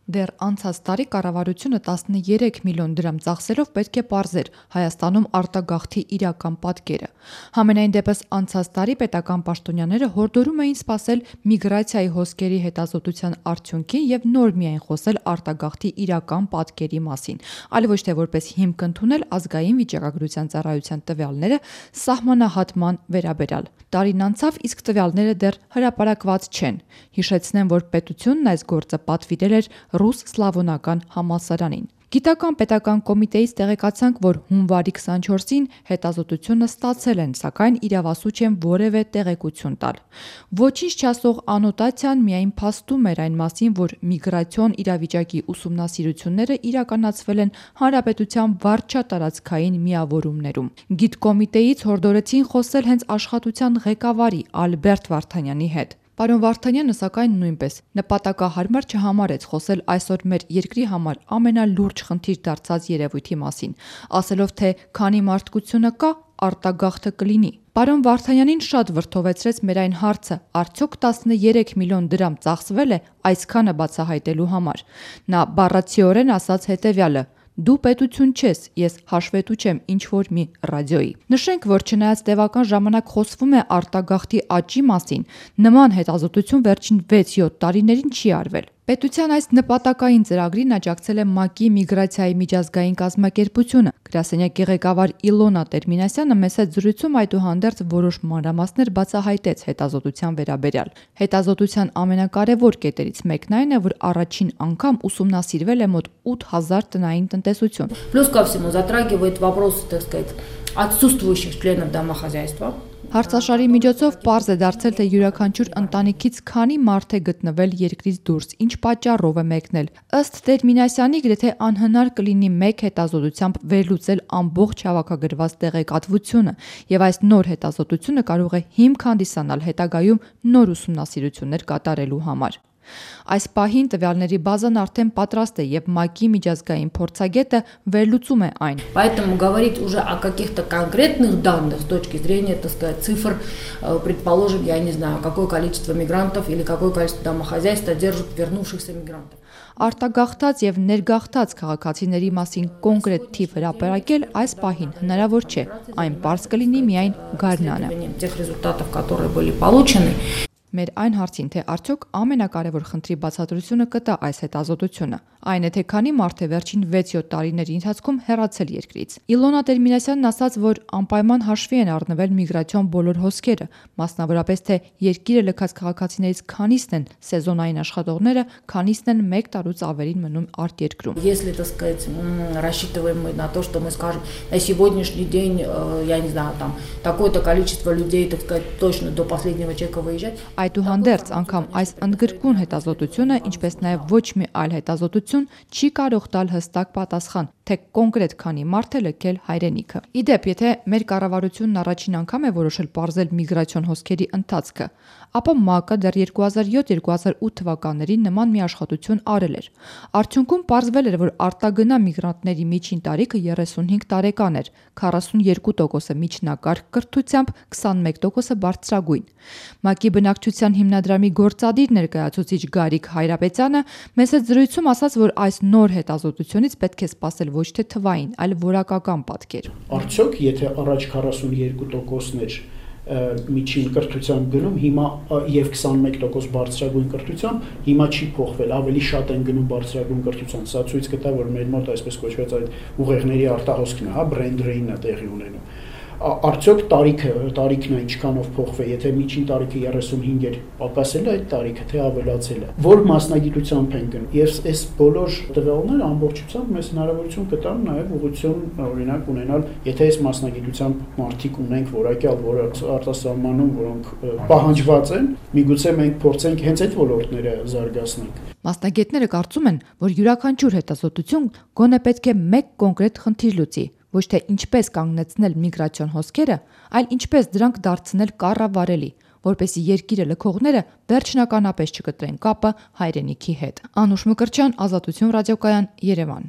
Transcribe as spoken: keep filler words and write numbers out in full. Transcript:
Դեռ անցած տարի կառավարությունը տասներեք միլիոն դրամ ծախսելով պետք է պարզեր Հայաստանում արտագաղթի իրական պատկերը։ Համենայն դեպս անցած տարի պետական պաշտոնյաները հորդորում էին սպասել միգրացիայի հոսքերի հետազոտության արդյունքին եւ նոր միայն խոսել արտագաղթի իրական պատկերի մասին, այլ ոչ թե որպես հիմք ընդունել ազգային վիճակագրության ծառայության տվյալները սահմանահատման վերաբերյալ։ Տարին անցավ, իսկ տվյալները դեռ հրապարակված չեն։ Հիշեցնեմ, որ պետությունն այս գործը պատվիրել էր Ռուս-սլավոնական համալսարանին։ Գիտական պետական կոմիտեից տեղեկացանք, որ հունվարի քսանչորսին հետազոտությունը ստացել են, սակայն իրավասու չեն որևէ տեղեկություն տալ։ Ոչինչ չասող անոտացիան միայն փաստում էր այն մասին, որ միգրացիոն իրավիճակի ուսումնասիրությունները իրականացվել են հանրապետության վարչատարածքային միավորումներում։ Գիտկոմիտեից հորդորեցին խոսել հենց աշխատության ղեկավարի Ալբերտ Վարդանյանի հետ։ Պարոն Վարդանյանը սակայն նույնպես նպատակահարմար չհամարեց խոսել այսօր մեր երկրի համար ամենալուրջ խնդիր դարձած երևույթի մասին, ասելով, թե քանի մարդկությունը կա, արտագաղթը կլինի։ Պարոն Վարդանյանին շատ վրդովեցրեց մեր այն հարցը՝ արդյոք տասներեք միլիոն դրամ ծախսվել է այսքանը բացահայտելու համար։ Նա բառացիորեն ասաց հետևյալը. «Դու պետություն չես, ես հաշվետու չեմ ինչ-որ մի ռադիոյի»։ Նշենք, որ չնայած տևական ժամանակ խոսվում է արտագաղթի աճի մասին, նման հետազոտություն վերջին վեց-յոթ տարիներին չի արվել։ Պետության այս նպատակային ծրագրին աջակցել է ՄԱԿ-ի միգրացիայի միջազգային կազմակերպությունը։ Գրասենյակի ղեկավար Իլոնա Տերմինասյանը մեծ հետ զրույցում այդուհանդերձ որոշ մանրամասներ բացահայտեց հետազոտության վերաբերյալ։ Հետազոտության ամենակարևոր կետերից մեկն այն է, որ առաջին անգամ ուսումնասիրվել է մոտ ութ հազար տնային տնտեսություն։ Плюс ко всему затрагивает вопросы, так сказать, отсутствующих членов домохозяйства. Հարցաշարի միջոցով պարզ է դարձել, թե յուրաքանչյուր ընտանիքից քանի մարդ է գտնվել երկրից դուրս, ինչ պատճառով է մեկնել։ Ըստ Տերմինասյանի, գրեթե անհնար կլինի մեկ հետազոտությամբ վերլուծել ամբողջ հավաքագրված տեղեկատվությունը, եւ այս նոր հետազոտությունը կարող է հիմք հանդիսանալ հետագայում նոր ուսումնասիրություններ կատարելու համար։ Այս паհին տվյալների բազան արդեն պատրաստ է եւ ՄԱԿ-ի միջազգային փորձագետը վերլուծում է այն։ Поэтому говорить уже о каких-то конкретных данных с точки зрения, так сказать, цифр, предположим, я не знаю, какое количество мигрантов или какое количество домохозяйств содержит вернувшихся мигрантов. Արտագաղթած եւ ներգաղթած քաղաքացիների մասին կոնկրետ թիվ հրապարակել այս պահին հնարավոր չէ։ Այն պարզ կլինի միայն գարնանը։ Тех результатов, которые были получены. Մեր այն հարցին, թե արդյոք ամենակարևոր խնդրի բացատրությունը կտա այս հետազոտությունը, այն է, թե քանի մարդ է վերջին վեց-յոթ տարիների ընթացքում հեռացել երկրից։ Իլոնա Տերմինասյանն ասաց, որ անպայման հաշվի են առնվել միգրացիոն բոլոր հոսքերը, մասնավորապես թե երկիրը լքած քաղաքացիներից քանիսն են սեզոնային աշխատողները, քանիսն են մեկ տարուց ավելին մնում արտերկրում։ Если, так сказать, рассчитываем мы на то, что мы скажем, на сегодняшний день, я не знаю, там такое-то количество людей, так сказать, точно до последнего человека выезжать. Այդուհանդերձ անգամ այս ընդգրկուն հետազոտությունը, ինչպես նաև ոչ մի այլ հետազոտություն, չի կարող տալ հստակ պատասխան, թե կոնկրետ քանի մարդ է լքել հայրենիքը։ Իդեպ, եթե մեր կառավարությունն առաջին անգամ է որոշել պարզել միգրացիոն հոսքերի ընթացքը, ապա ՄԱԿ-ը դեռ երկու հազար յոթ երկու հազար ութ թվականներին նման մի աշխատություն արել էր։ Արդյունքում պարզվել էր, որ արտագնա միգրանտների միջին տարիքը երեսունհինգ տարեկան էր, քառասունյոթ տոկոսը միջնակարգ կրթությամբ, քսանմեկ տոկոսը բարձրագույն։ ՄԱԿ-ի բնակչության հիմնադրամի գործադիր ներկայացուցիչ Գարիկ Հայրապետյանը մեծ հետ զրույցում ասաց, որ այս նոր հետազոտությունից պետք է սպասել ոչ թե թվային, այլ որակական պատկեր։ Արդյոք, եթե առաջ քառասունյոթ տոկոսն էր միջին կրթության գնում, հիմա եւ քսանմեկ տոկոս բարձրագույն կրթության, հիմա չի փոխվել, ավելի շատ են գնում բարձրագույն կրթության։ Սա ցույց կտա, որ մեր մոտ այսպես կոչված այդ ուղեղների արտահոսքն է, հա, brain drain-ը տեղի ունենում։ Արդյոք տարիքը, տարիքն է ինչքանով փոխվել, եթե միջին տարիքը երեսունհինգ էր, պակասել է այդ տարիքը, թե ավելացել է։ Որ մասնագիտությամբ են գնում։ Եվ այս բոլոր տվյալները ամբողջությամբ մեզ հնարավորություն կտան նաև ուղղություն, օրինակ, ունենալ, եթե այս մասնագիտությամբ մարդիկ ունենք որակյալ, որը արտասահմանում, որոնք պահանջված են, միգուցե մենք փորձենք հենց այդ ոլորտները զարգացնենք։ Մասնագետները կարծում են, որ յուրաքանչյուր հետազոտություն գոնե պետք է մեկ կոնկրետ խնդիր լուծի, ոչ թե ինչպես կանգնեցնել միգրացիոն հոսքերը, այլ ինչպես դրանք դարձնել կառավարելի, որպեսզի երկիրը լքողները վերջնականապես չկտրեն կապը հայրենիքի հետ։ Անուշ Մկրտչյան, Ազատություն ռադիոկայան, Երևան։